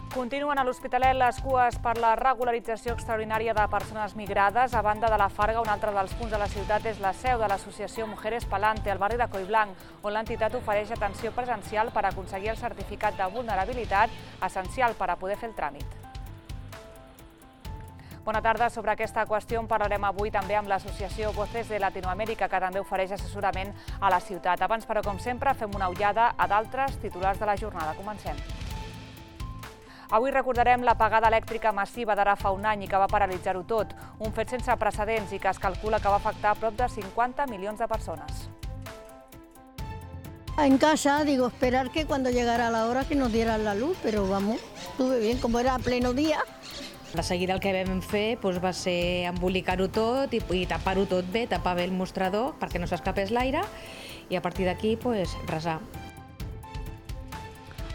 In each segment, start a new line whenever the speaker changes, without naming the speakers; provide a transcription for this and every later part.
Continuen a l'Hospitalet les cues per la regularització extraordinària de persones migrades. A banda de la Farga, un altre dels punts de la ciutat és la seu de l'associació Mujeres Palante, al barri de Collblanc, on l'entitat ofereix atenció presencial per aconseguir el certificat de vulnerabilitat, essencial per a poder fer el tràmit. Bona tarda. Sobre aquesta qüestió en parlarem avui també amb l'associació Voces de Latinoamérica, que també ofereix assessorament a la ciutat. Abans, però, com sempre, fem una ullada a d'altres titulars de la jornada. Comencem. Avui recordarem l'apagada elèctrica massiva d'ara fa un any i que va paralitzar-ho tot, un fet sense precedents i que es calcula que va afectar a prop de 50 milions de persones.
En casa, digo, esperar que cuando llegara la hora que nos dieran la luz, pero vamos, estuve bien, como era pleno día.
De seguida el que vam fer va ser embolicar-ho tot i tapar-ho tot bé, tapar bé el mostrador perquè no s'escapés l'aire i a partir d'aquí resar.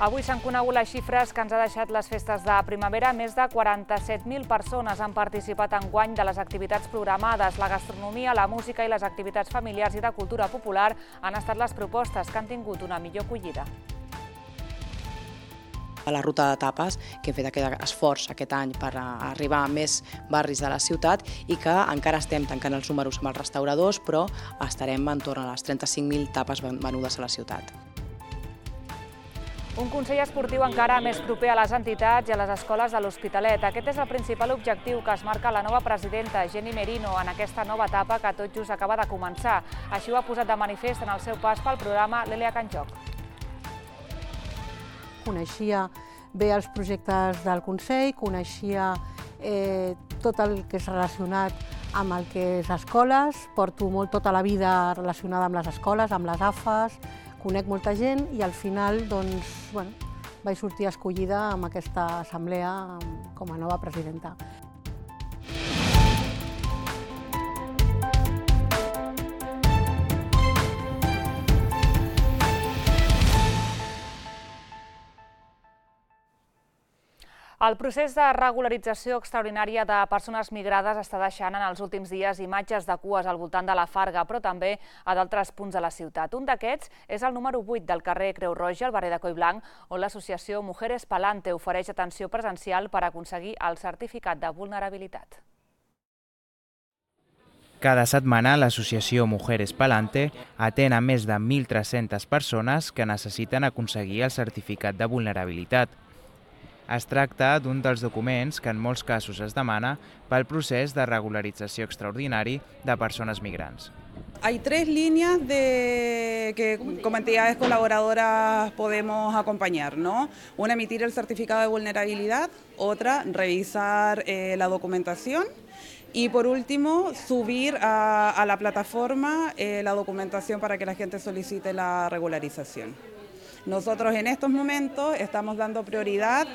Avui s'han conegut les xifres que ens ha deixat les festes de primavera. Més de 47.000 persones han participat enguany de les activitats programades. La gastronomia, la música i les activitats familiars i de cultura popular han estat les propostes que han tingut una millor acollida.
A la ruta de tapes, que hem fet aquest esforç aquest any per arribar a més barris de la ciutat i que encara estem tancant els números amb els restauradors, però estarem entorn a les 35.000 tapes venudes a la ciutat.
Un consell esportiu encara més proper a les entitats i a les escoles de l'Hospitalet. Aquest és el principal objectiu que es marca la nova presidenta, Jenny Merino, en aquesta nova etapa que tot just acaba de començar. Així ho ha posat de manifest en el seu pas pel programa Lèlia Canjoc.
Coneixia bé els projectes del Consell, coneixia tot el que és relacionat amb el que és escoles, porto tota la vida relacionada amb les escoles, amb les AFAs, conec molta gent i al final vaig sortir escollida amb aquesta assemblea com a nova presidenta.
El procés de regularització extraordinària de persones migrades està deixant en els últims dies imatges de cues al voltant de la Farga, però també a d'altres punts de la ciutat. Un d'aquests és el número 8 del carrer Creu Roja, al barri de Collblanc, on l'associació Mujeres Palante ofereix atenció presencial per aconseguir el certificat de vulnerabilitat.
Cada setmana l'associació Mujeres Palante atén a més de 1.300 persones que necessiten aconseguir el certificat de vulnerabilitat. Es tracta d'un dels documents que en molts casos es demana pel procés de regularització extraordinari de persones migrants.
Hay tres líneas que como entidades colaboradoras podemos acompañar, ¿no? Una, emitir el certificado de vulnerabilidad, otra, revisar la documentación y por último, subir a la plataforma la documentación para que la gente solicite la regularización. Nosotros en estos momentos estamos dando prioridad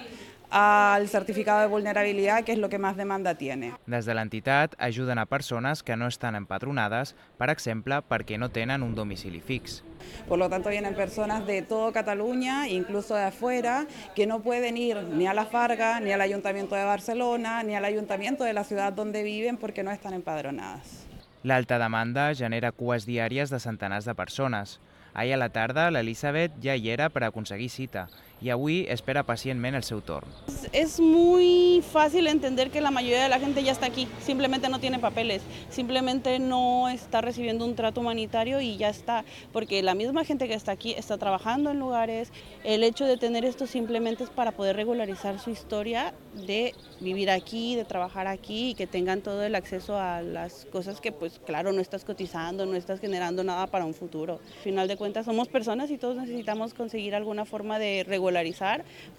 al certificado de vulnerabilidad, que és el que més demanda tiene.
Des de l'entitat ajuden a persones que no estan empadronades, per exemple, perquè no tenen un domicili fix.
Por lo tanto, vienen personas de toda Cataluña, incluso de afuera, que no pueden ir ni a la Farga, ni al Ayuntamiento de Barcelona, ni al Ayuntamiento de la ciudad donde viven porque no están empadronadas.
L'alta demanda genera cues diàries de centenars de persones. Ahir a la tarda l'Elisabet ja hi era per aconseguir cita y avui espera pacientment el seu torn.
Es muy fácil entender que la mayoría de la gente ya está aquí, simplemente no tiene papeles, simplemente no está recibiendo un trato humanitario y ya está, porque la misma gente que está aquí está trabajando en lugares. El hecho de tener esto simplemente es para poder regularizar su historia de vivir aquí, de trabajar aquí y que tengan todo el acceso a las cosas que pues claro no estás cotizando, no estás generando nada para un futuro. Al final de cuentas somos personas y todos necesitamos conseguir alguna forma de regularizar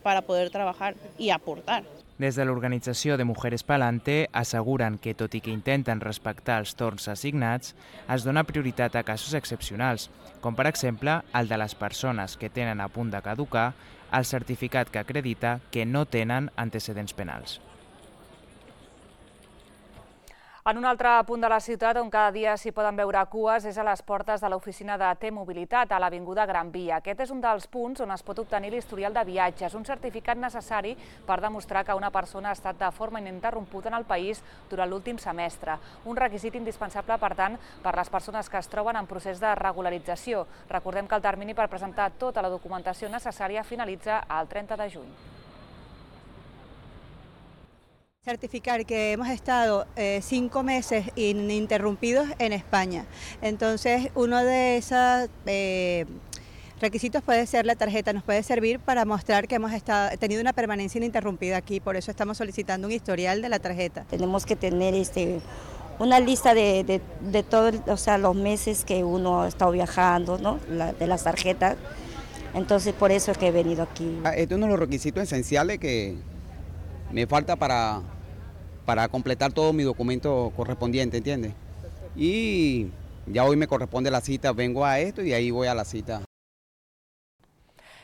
para poder trabajar y aportar.
Des de l'organització de Mujeres Palante asseguren que, tot i que intenten respectar els torns assignats, es dona prioritat a casos excepcionals, com per exemple el de les persones que tenen a punt de caducar el certificat que acredita que no tenen antecedents penals.
En un altre punt de la ciutat on cada dia s'hi poden veure cues és a les portes de l'oficina de T-Mobilitat, a l'Avinguda Gran Via. Aquest és un dels punts on es pot obtenir l'historial de viatges, un certificat necessari per demostrar que una persona ha estat de forma ininterrompuda en el país durant l'últim semestre. Un requisit indispensable, per tant, per les persones que es troben en procés de regularització. Recordem que el termini per presentar tota la documentació necessària finalitza el 30 de juny.
Certificar que hemos estado 5 meses ininterrumpidos en España. Entonces, uno de esos requisitos puede ser la tarjeta, nos puede servir para mostrar que hemos tenido una permanencia ininterrumpida aquí, por eso estamos solicitando un historial de la tarjeta.
Tenemos que tener una lista de todos, o sea, los meses que uno ha estado viajando, ¿no? De las tarjetas. Entonces, por eso es que he venido aquí.
Este es uno de los requisitos esenciales que me falta para completar todo mi documento correspondiente, ¿entiendes? Y ya hoy me corresponde la cita, vengo a esto y ahí voy a la cita.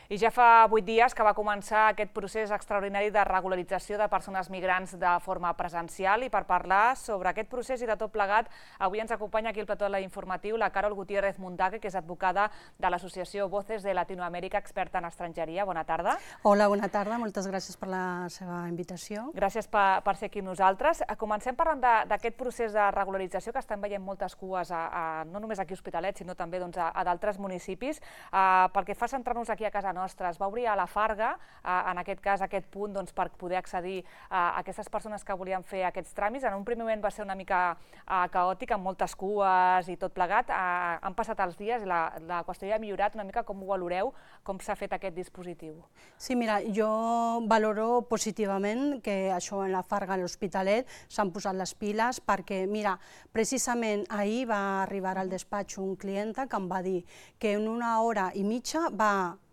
I ja fa 8 dies que va començar aquest procés extraordinari de regularització de persones migrants de forma presencial i per parlar sobre aquest procés i de tot plegat, avui ens acompanya aquí al plató de l'informatiu la Carol Gutiérrez Mundaque, que és advocada de l'associació Voces de Latinoamèrica, experta en estrangeria. Bona tarda.
Hola, bona tarda. Moltes gràcies per la seva invitació.
Gràcies per ser aquí amb nosaltres. Comencem parlant d'aquest procés de regularització que estem veient moltes cues, no només aquí a Hospitalet, sinó també a d'altres municipis. Pel que fa a centrar-nos aquí a casa nostra, es va obrir a la Farga, en aquest cas, aquest punt per poder accedir a aquestes persones que volien fer aquests tràmits. En un primer moment va ser una mica caòtic, amb moltes cues i tot plegat. Han passat els dies i la qüestió ja ha millorat una mica. Com ho valoreu? Com s'ha fet aquest dispositiu?
Sí, mira, jo valoro positivament que això en la Farga, a l'Hospitalet, s'han posat les piles perquè, mira, precisament ahir va arribar al despatx un client que em va dir que en 1 hora i mitja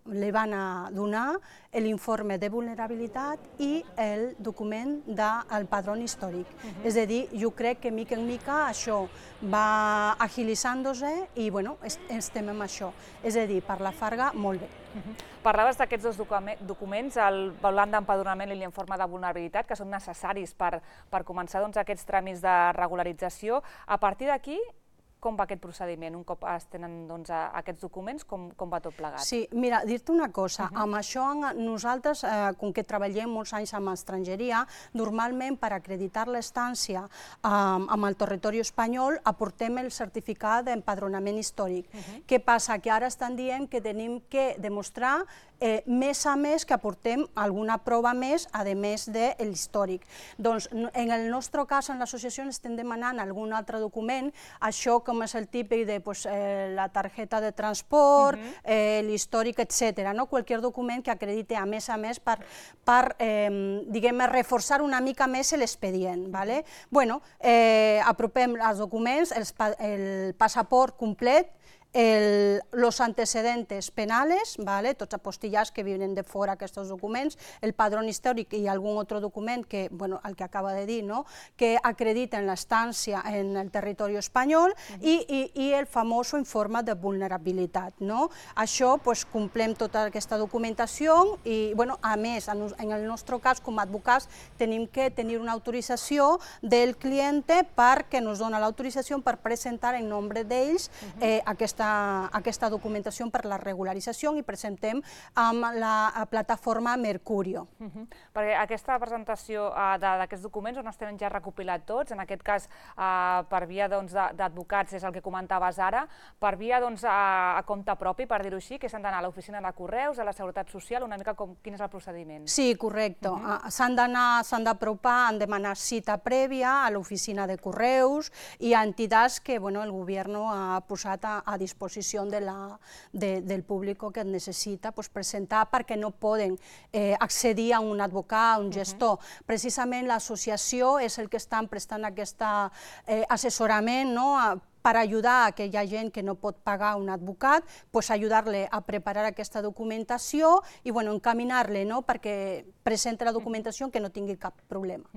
li van a donar l'informe de vulnerabilitat i el document del padró històric. És a dir, jo crec que mica en mica això va agilitzant-se i estem amb això. És a dir, per la Farga, molt bé.
Parlaves d'aquests dos documents, el volant d'empadronament i l'informe de vulnerabilitat, que són necessaris per començar aquests tràmits de regularització. A partir d'aquí, com va aquest procediment? Un cop es tenen aquests documents, com va tot plegat?
Sí, mira, dir-te una cosa, amb això nosaltres, com que treballem molts anys amb estrangeria, normalment per acreditar l'estància amb el territori espanyol aportem el certificat d'empadronament històric. Què passa? Que ara estan dient que tenim que demostrar més a més que aportem alguna prova més, a més de l'històric. Doncs en el nostre cas, en l'associació, estem demanant algun altre document, això com és el típic de la targeta de transport, l'històric, etc. Qualsevol document que acredite a més per diguem, reforçar una mica més l'expedient. Apropem els documents, el passaport complet, los antecedentes penales, tots apostillats que vienen de fora aquests documents, el padrón històric i algun altre document, que el que acaba de dir, que acrediten l'estància en el territori espanyol i el famós informe de vulnerabilitat. Això, complem tota aquesta documentació i, a més, en el nostre cas, com a advocats, tenim que tenir una autorització del client perquè ens dona l'autorització per presentar en nom d'ells aquesta documentació per la regularització i presentem amb la plataforma Mercurio.
Perquè aquesta presentació d'aquests documents on es tenen ja recopilat tots, en aquest cas per via d'advocats, és el que comentaves ara, per via a compte propi, per dir-ho així, que s'han d'anar a l'oficina de Correus, a la Seguretat Social, una mica quin és el procediment?
Sí, correcte. S'han d'apropar, han de demanar cita prèvia a l'oficina de Correus i a entitats que el govern ha posat a disposició del públic que es necessita presentar perquè no poden accedir a un advocat, a un gestor. Precisament l'associació és el que estan prestant aquest assessorament per ajudar a aquella gent que no pot pagar un advocat, ajudar-le a preparar aquesta documentació i encaminar-le perquè presenti la documentació que no tingui cap problema.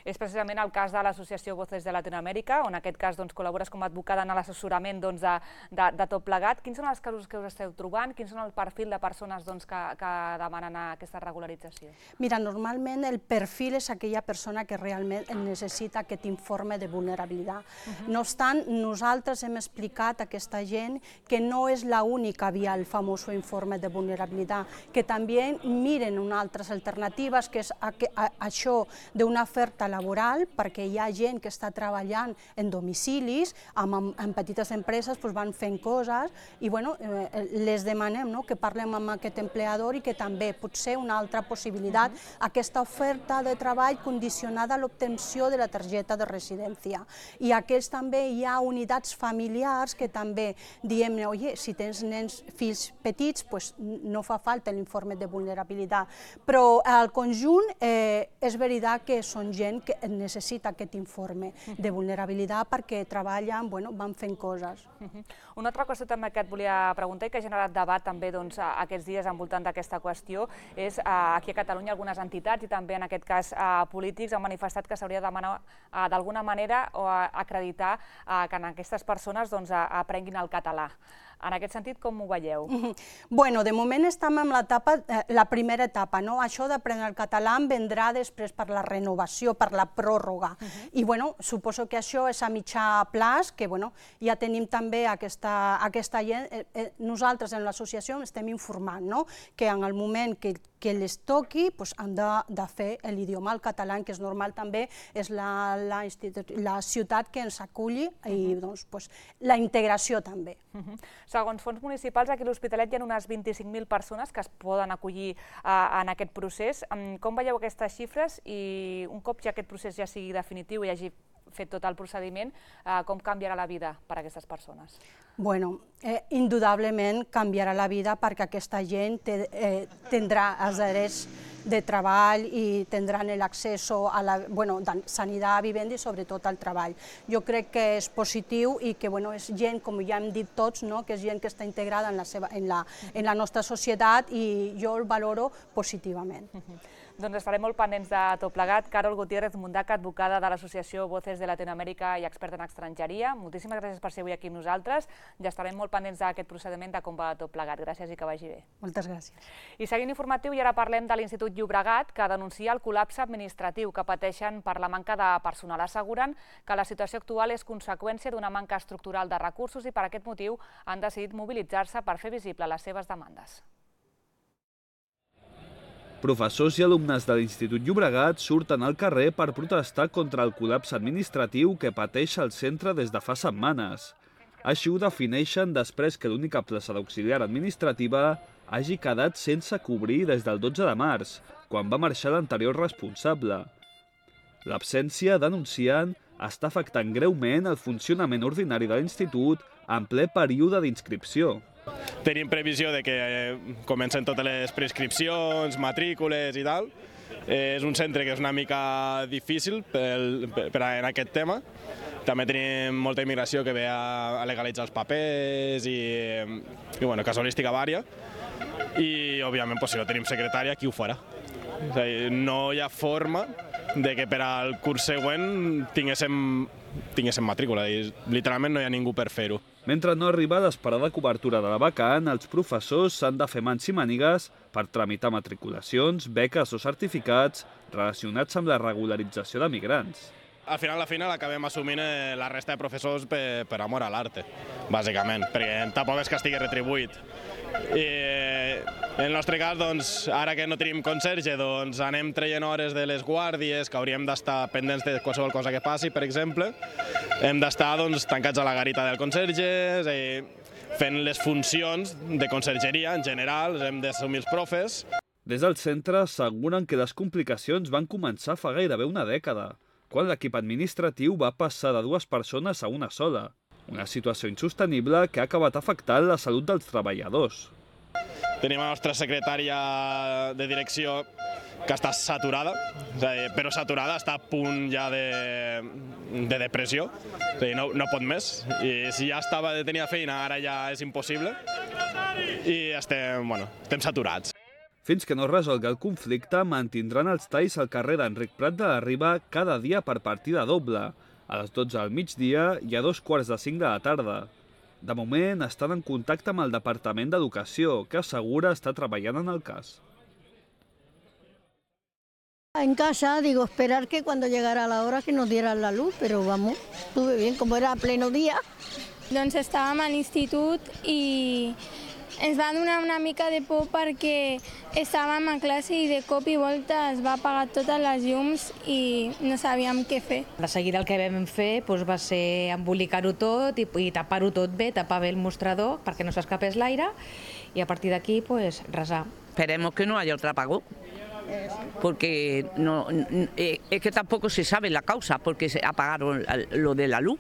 És precisament el cas de l'associació Voces de Latinoamèrica, on en aquest cas col·labores com a advocada en l'assessorament de tot plegat. Quins són els casos que us esteu trobant? Quin són el perfil de persones que demanen aquesta regularització?
Mira, normalment el perfil és aquella persona que realment necessita aquest informe de vulnerabilitat. No obstant, nosaltres
nosaltres hem explicat a aquesta gent que no és l'única via el famós informe de vulnerabilitat, que també miren unes altres alternatives, que és això d'una oferta laboral, perquè hi ha gent que està treballant en domicilis, en petites empreses van fent coses, i les demanem que parlem amb aquest empleador i que també pot ser una altra possibilitat aquesta oferta de treball condicionada a l'obtenció de la targeta de residència. I aquests també hi ha unitats familiars que també diem, oi, si tens nens, fills petits, no fa falta l'informe de vulnerabilitat. Però al conjunt és veritat que són gent que necessita aquest informe de vulnerabilitat perquè treballen, van fent coses.
Una altra qüestió també que et volia preguntar i que ha generat debat també aquests dies envoltant d'aquesta qüestió és aquí a Catalunya algunes entitats i també en aquest cas polítics han manifestat que s'hauria de demanar d'alguna manera o acreditar que aquestes persones aprenguin el català. En aquest sentit, com ho veieu?
Bueno, de moment estem en la primera etapa. Això d'aprendre el català vendrà després per la renovació, per la pròrroga. I suposo que això és a mitjà plaç, que ja tenim també aquesta gent. Nosaltres en l'associació estem informant que en el moment que les toqui han de fer l'idioma, el català, que és normal també, és la ciutat que ens aculli i la integració també.
Segons fons municipals, aquí a l'Hospitalet hi ha unes 25.000 persones que es poden acollir en aquest procés. Com veieu aquestes xifres i un cop ja aquest procés ja sigui definitiu i hagi fet tot el procediment, com canviarà la vida per a aquestes persones?
Bueno, indudablement canviarà la vida perquè aquesta gent tindrà els drets de treball i tindran l'accés a la sanitat, vivenda i sobretot al treball. Jo crec que és positiu i que és gent, com ja hem dit tots, que és gent que està integrada en la nostra societat i jo el valoro positivament.
Doncs estarem molt pendents de tot plegat. Carol Gutiérrez Mundaca, advocada de l'associació Voces de Latinoamèrica i experta en estrangeria. Moltíssimes gràcies per ser avui aquí amb nosaltres. Ja estarem molt pendents d'aquest procediment de com va tot plegat. Gràcies i que vagi bé.
Moltes gràcies.
I seguint informatiu, i ara parlem de l'Institut Llobregat, que denuncia el col·lapse administratiu que pateixen per la manca de personal. Asseguren que la situació actual és conseqüència d'una manca estructural de recursos i per aquest motiu han decidit mobilitzar-se per fer visible les seves demandes.
Professors i alumnes de l'Institut Llobregat surten al carrer per protestar contra el col·lapse administratiu que pateix el centre des de fa setmanes. Així ho defineixen després que l'única plaça d'auxiliar administrativa hagi quedat sense cobrir des del 12 de març, quan va marxar l'anterior responsable. L'absència, denuncien, està afectant greument el funcionament ordinari de l'institut en ple període d'inscripció.
Tenim previsió de que comencen totes les prescripcions, matrícules i tal. És un centre que és una mica difícil en aquest tema. També tenim molta immigració que ve a legalitzar els papers i casuística vària. I, òbviament, si no tenim secretària, qui ho farà? No hi ha forma de que per al curs següent tinguéssim matrícula. Literalment no hi ha ningú per fer-ho.
Mentre no arriba l'esperada cobertura de la vacant, els professors s'han de fer mans i mànigues per tramitar matriculacions, beques o certificats relacionats amb la regularització de migrants.
Al final acabem assumint la resta de professors per amor a l'arte, bàsicament, perquè tampoc és que estigui retribuït. I en el nostre cas, ara que no tenim conserge, anem traient hores de les guàrdies, que hauríem d'estar pendents de qualsevol cosa que passi, per exemple. Hem d'estar tancats a la garita del conserge, fent les funcions de consergeria en general, hem d'assumir els profes.
Des del centre asseguren que les complicacions van començar fa gairebé una dècada, quan l'equip administratiu va passar de 2 persones a una sola. Una situació insostenible que ha acabat afectant la salut dels treballadors.
Tenim la nostra secretària de direcció que està saturada, però saturada, està a punt ja de depressió, no pot més. I si ja estava de tenir feina, ara ja és impossible i estem saturats.
Fins que no es resolgui el conflicte, mantindran els talls al carrer d'Enric Prat de la Riba cada dia per partida doble, a les 12 del migdia i a 2:45 de la tarda. De moment, estan en contacte amb el Departament d'Educació, que assegura estar treballant en el cas.
En casa, esperar que cuando llegara la hora que nos dieran la luz, pero vamos, estuve bien, como era pleno día.
Doncs estàvem a l'institut i ens va donar una mica de por perquè estàvem a classe i de cop i volta es va apagar totes les llums i no sabíem què fer.
De seguida el que vam fer va ser embolicar-ho tot i tapar-ho tot bé, tapar bé el mostrador perquè no s'escapés l'aire y a partir de aquí resar.
Esperemos que no haya otro apagón, porque es que tampoco se sabe la causa, porque se apagaron lo de la luz.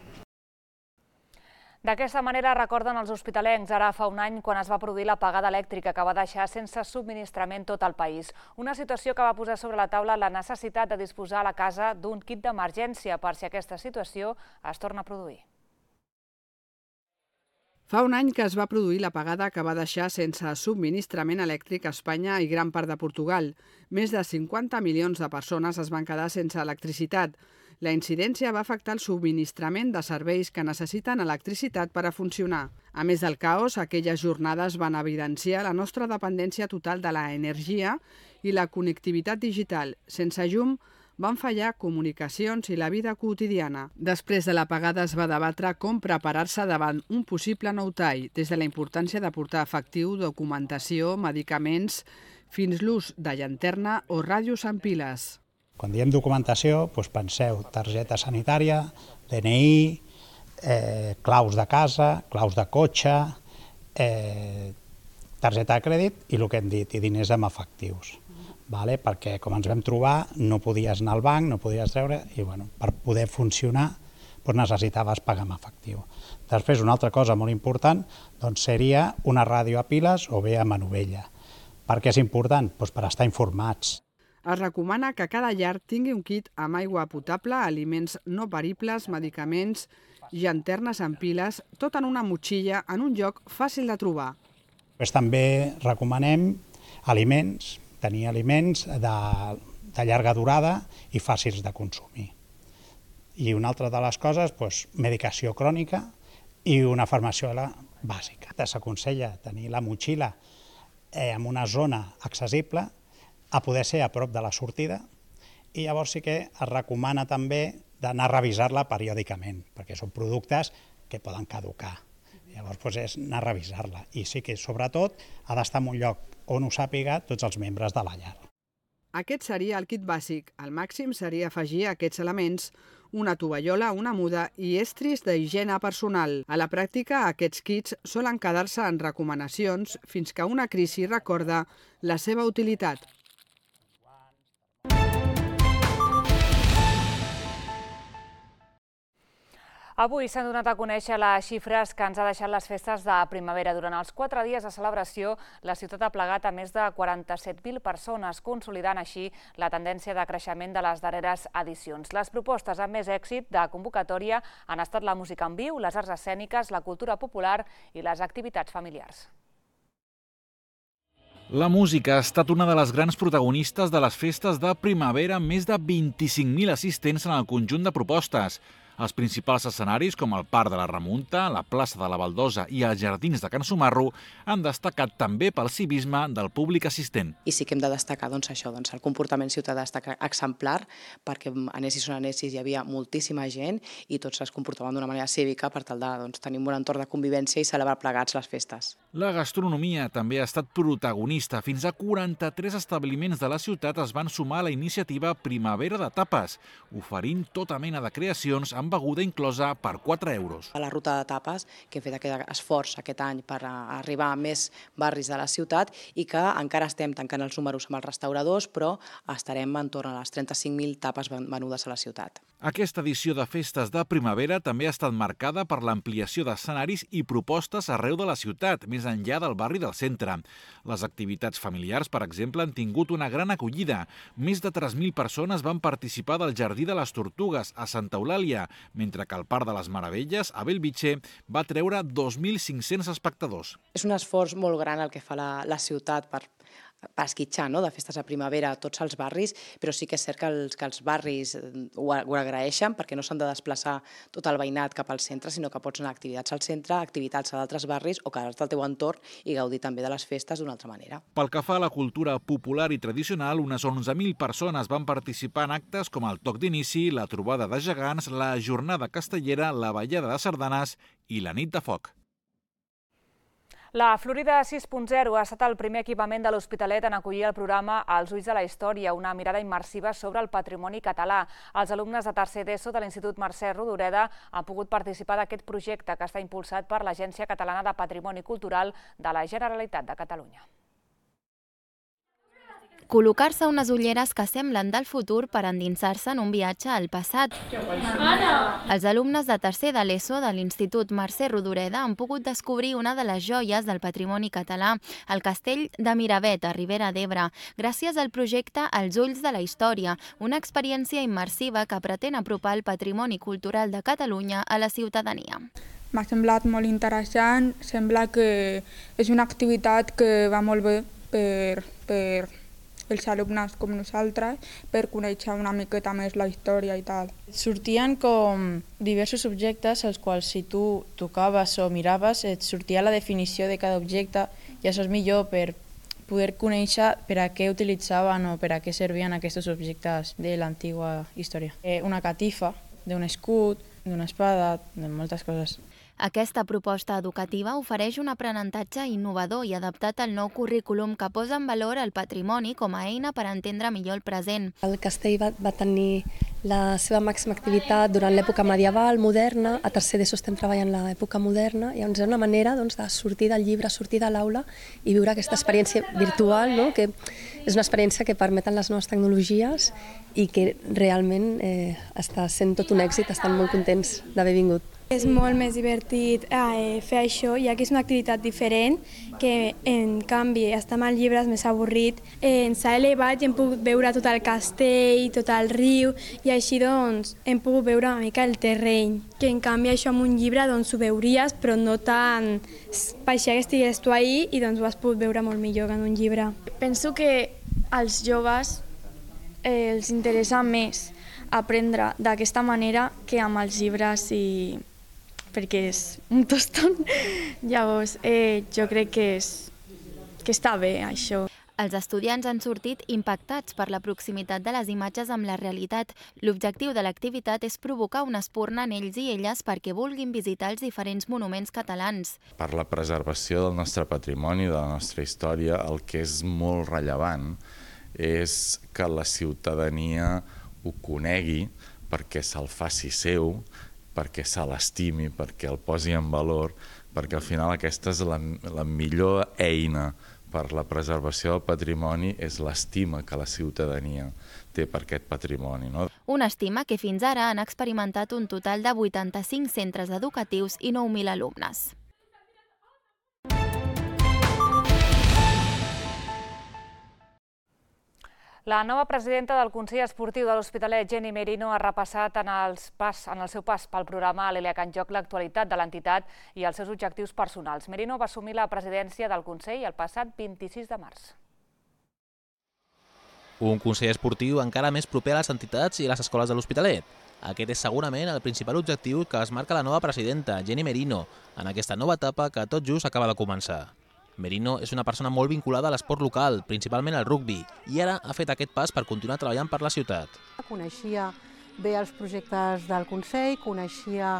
D'aquesta manera recorden els hospitalencs ara fa un any quan es va produir l'apagada elèctrica que va deixar sense subministrament tot el país. Una situació que va posar sobre la taula la necessitat de disposar a la casa d'un kit d'emergència per si aquesta situació es torna a produir.
Fa un any que es va produir l'apagada que va deixar sense subministrament elèctric a Espanya i gran part de Portugal. Més de 50 milions de persones es van quedar sense electricitat. La incidència va afectar el subministrament de serveis que necessiten electricitat per a funcionar. A més del caos, aquelles jornades van evidenciar la nostra dependència total de l'energia i la connectivitat digital. Sense llum, van fallar comunicacions i la vida quotidiana. Després de l'apagada es va debatre com preparar-se davant un possible nou tall, des de la importància de portar efectiu, documentació, medicaments, fins l'ús de llanterna o ràdios amb piles.
Quan diem documentació, penseu targeta sanitària, DNI, claus de casa, claus de cotxe, targeta de crèdit i el que hem dit, i diners amb efectius. Perquè com ens vam trobar no podies anar al banc, no podies treure i per poder funcionar necessitaves pagar amb efectiu. Després una altra cosa molt important seria una ràdio a piles o bé a manovella. Per què és important? Per estar informats.
Es recomana que cada llar tingui un kit amb aigua potable, aliments no peribles, medicaments, llanternes amb piles, tot en una motxilla en un lloc fàcil de trobar.
També recomanem tenir aliments de llarga durada i fàcils de consumir. I una altra de les coses, medicació crònica i una farmaciola bàsica. S'aconsella tenir la motxilla en una zona accessible, a poder ser a prop de la sortida, i llavors sí que es recomana també d'anar a revisar-la periòdicament, perquè són productes que poden caducar. Llavors és anar a revisar-la, i sí que sobretot ha d'estar en un lloc on ho sàpiga tots els membres de la llar.
Aquest seria el kit bàsic. El màxim seria afegir aquests elements, una tovallola, una muda i estris d'higiene personal. A la pràctica, aquests kits solen quedar-se en recomanacions fins que una crisi recorda la seva utilitat.
Avui s'han donat a conèixer les xifres que ens ha deixat les festes de primavera. Durant els 4 dies de celebració, la ciutat ha plegat a més de 47.000 persones, consolidant així la tendència de creixement de les darreres edicions. Les propostes amb més èxit de convocatòria han estat la música en viu, les arts escèniques, la cultura popular i les activitats familiars.
La música ha estat una de les grans protagonistes de les festes de primavera, amb més de 25.000 assistents en el conjunt de propostes. Els principals escenaris, com el Parc de la Remunta, la plaça de la Baldosa i els jardins de Can Sumarro, han destacat també pel civisme del públic assistent.
I sí que hem de destacar això, el comportament ciutadà està exemplar, perquè anessis on anessis hi havia moltíssima gent i tots es comportaven d'una manera cívica per tal de tenir un bon entorn de convivència i celebrar plegats les festes.
La gastronomia també ha estat protagonista. Fins a 43 establiments de la ciutat es van sumar a la iniciativa Primavera de Tapes, oferint tota mena de creacions amb beguda inclosa per 4 euros.
A la ruta de tapes, que he fet aquest esforç aquest any per arribar a més barris de la ciutat i que encara estem tancant els números amb els restauradors, però estarem entorn a les 35.000 tapes venudes a la ciutat.
Aquesta edició de festes de primavera també ha estat marcada per l'ampliació d'escenaris i propostes arreu de la ciutat, més enllà del barri del centre. Les activitats familiars, per exemple, han tingut una gran acollida. Més de 3.000 persones van participar del Jardí de les Tortugues a Santa Eulàlia, mentre que el Parc de les Meravelles, a Bellvitge, va treure 2.500 espectadors.
És un esforç molt gran el que fa la ciutat per per esquitxar, no?, de festes a primavera a tots els barris, però sí que és cert que els barris ho agraeixen perquè no s'han de desplaçar tot el veïnat cap al centre, sinó que pots anar a activitats al centre, activitats a d'altres barris o quedar-te al teu entorn i gaudir també de les festes d'una altra manera.
Pel que fa a la cultura popular i tradicional, unes 11.000 persones van participar en actes com el toc d'inici, la trobada de gegants, la jornada castellera, la ballada de sardanes i la nit de foc.
La Florida 6.0 ha estat el primer equipament de l'Hospitalet en acollir el programa Els ulls de la història, una mirada immersiva sobre el patrimoni català. Els alumnes de tercer d'ESO de l'Institut Mercè Rodoreda han pogut participar d'aquest projecte que està impulsat per l'Agència Catalana de Patrimoni Cultural de la Generalitat de Catalunya.
Col·locar-se unes ulleres que semblen del futur per endinsar-se en un viatge al passat. Els alumnes de tercer de l'ESO de l'Institut Mercè Rodoreda han pogut descobrir una de les joies del patrimoni català, el castell de Miravet, a Ribera d'Ebre, gràcies al projecte Els ulls de la història, una experiència immersiva que pretén apropar el patrimoni cultural de Catalunya a la ciutadania.
M'ha semblat molt interessant, sembla que és una activitat que va molt bé per els alumnes com nosaltres, per conèixer una miqueta més la història i tal.
Sortien com diversos objectes als quals si tu tocaves o miraves et sortia la definició de cada objecte i això és millor per poder conèixer per a què utilitzaven o per a què servien aquests objectes de l'antiga història. Una catifa, d'un escut, d'una espada, de moltes coses.
Aquesta proposta educativa ofereix un aprenentatge innovador i adaptat al nou currículum que posa en valor el patrimoni com a eina per entendre millor el present.
El castell va tenir la seva màxima activitat durant l'època medieval, moderna. A tercer d'ESO estem treballant l'època moderna i és una manera de sortir del llibre, sortir de l'aula i viure aquesta experiència virtual, que és una experiència que permeten les noves tecnologies i que realment està sent tot un èxit, estan molt contents d'haver vingut.
És molt més divertit fer això, ja que és una activitat diferent, que en canvi estar amb els llibres més avorrit. Ens ha elevat i hem pogut veure tot el castell, tot el riu, i així doncs hem pogut veure una mica el terreny. Que en canvi això amb un llibre doncs ho veuries, però no tant pareixia que estigués tu ahí i doncs ho has pogut veure molt millor que en un llibre.
Penso que als joves els interessa més aprendre d'aquesta manera que amb els llibres perquè és un tostón. Llavors, jo crec que està bé, això.
Els estudiants han sortit impactats per la proximitat de les imatges amb la realitat. L'objectiu de l'activitat és provocar una espurna en ells i elles perquè vulguin visitar els diferents monuments catalans.
Per la preservació del nostre patrimoni, de la nostra història, el que és molt rellevant és que la ciutadania ho conegui perquè se'l faci seu, perquè se l'estimi, perquè el posi en valor, perquè al final aquesta és la millor eina per la preservació del patrimoni, és l'estima que la ciutadania té per aquest patrimoni.
Una estima que fins ara han experimentat un total de 85 centres educatius i 9.000 alumnes.
La nova presidenta del Consell Esportiu de l'Hospitalet, Jenny Merino, ha repassat en el seu pas pel programa l'Eliac en joc l'actualitat de l'entitat i els seus objectius personals. Merino va assumir la presidència del Consell el passat 26 de març.
Un Consell Esportiu encara més proper a les entitats i a les escoles de l'Hospitalet. Aquest és segurament el principal objectiu que es marca la nova presidenta, Jenny Merino, en aquesta nova etapa que tot just acaba de començar. Merino és una persona molt vinculada a l'esport local, principalment al rugbi, i ara ha fet aquest pas per continuar treballant per la ciutat.
Coneixia bé els projectes del Consell, coneixia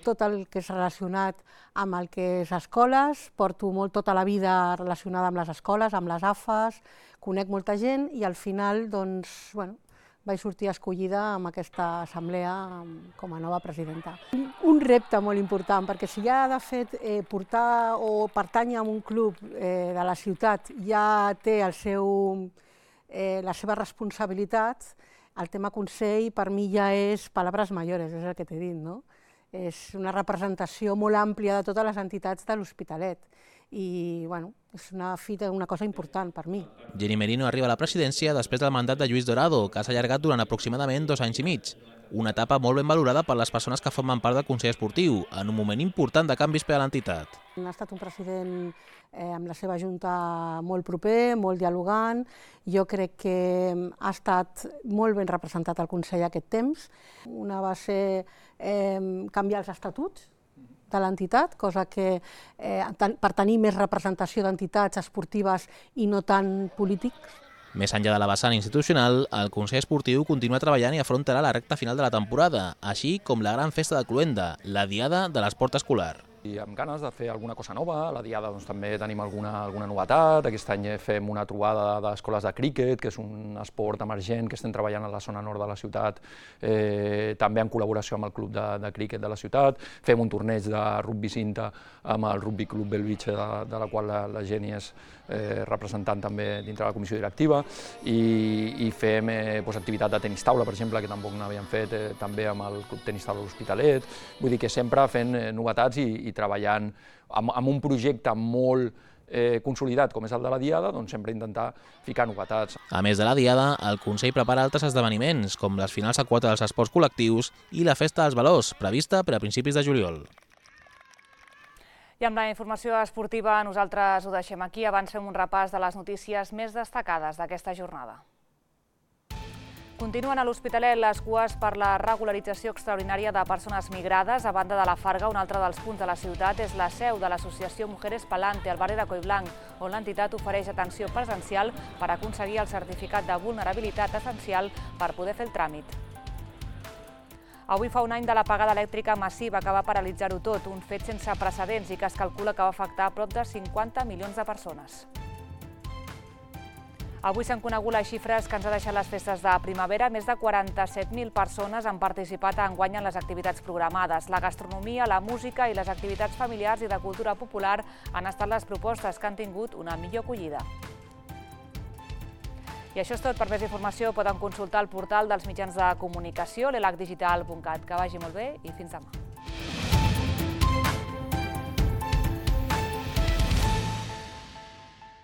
tot el que és relacionat amb el que és escoles, porto tota la vida relacionada amb les escoles, amb les AFAs, conec molta gent i al final doncs, vaig sortir escollida amb aquesta assemblea com a nova presidenta. Un repte molt important, perquè si ja de fet portar o pertànyer a un club de la ciutat ja té la seva responsabilitat, el tema Consell per mi ja és palabras mayores, és el que t'he dit, no? És una representació molt àmplia de totes les entitats de l'Hospitalet i bueno, és una cosa important per mi.
Jenny Merino arriba a la presidència després del mandat de Lluís Dorado, que s'ha allargat durant aproximadament 2 anys i mig. Una etapa molt ben valorada per les persones que formen part del Consell Esportiu, en un moment important de canvis per a l'entitat.
Ha estat un president amb la seva junta molt proper, molt dialogant. Jo crec que ha estat molt ben representat al Consell aquest temps. Una va ser canviar els estatuts de l'entitat, cosa que per tenir més representació d'entitats esportives i no tan polítics.
Més enllà de la vessant institucional, el Consell Esportiu continua treballant i afrontarà la recta final de la temporada, així com la gran festa de Cluenda, la Diada de l'Esport Escolar.
I amb ganes de fer alguna cosa nova. A la Diada també tenim alguna novetat. Aquest any fem una trobada d'escoles de críquet, que és un esport emergent que estem treballant a la zona nord de la ciutat, també en col·laboració amb el club de críquet de la ciutat. Fem un torneig de rugby cinta amb el Rugby Club Belvitge, de la qual la Geni és representant també dintre de la comissió directiva, i fem activitat de tenis taula, per exemple, que tampoc n'havíem fet, també amb el Club Tenis Taula de l'Hospitalet. Vull dir que sempre fent novetats i treballant amb un projecte molt consolidat com és el de la Diada, doncs sempre intentar ficar novetats.
A més de la Diada, el Consell prepara altres esdeveniments, com les finals a quota dels esports col·lectius i la Festa dels Valors, prevista per a principis de juliol.
I amb la informació esportiva nosaltres ho deixem aquí. Abans fem un repàs de les notícies més destacades d'aquesta jornada. Continuen a l'Hospitalet les cues per la regularització extraordinària de persones migrades. A banda de la Farga, un altre dels punts de la ciutat és la seu de l'associació Mujeres Palante, al barri de Collblanc, on l'entitat ofereix atenció presencial per aconseguir el certificat de vulnerabilitat essencial per poder fer el tràmit. Avui fa un any de l'apagada elèctrica massiva que va paralitzar-ho tot, un fet sense precedents i que es calcula que va afectar a prop de 50 milions de persones. Avui s'han conegut les xifres que ens ha deixat les festes de primavera. Més de 47.000 persones han participat enguany en les activitats programades. La gastronomia, la música i les activitats familiars i de cultura popular han estat les propostes que han tingut una millor acollida. I això és tot. Per més informació poden consultar el portal dels mitjans de comunicació, l'elacdigital.cat. Que vagi molt bé i fins demà.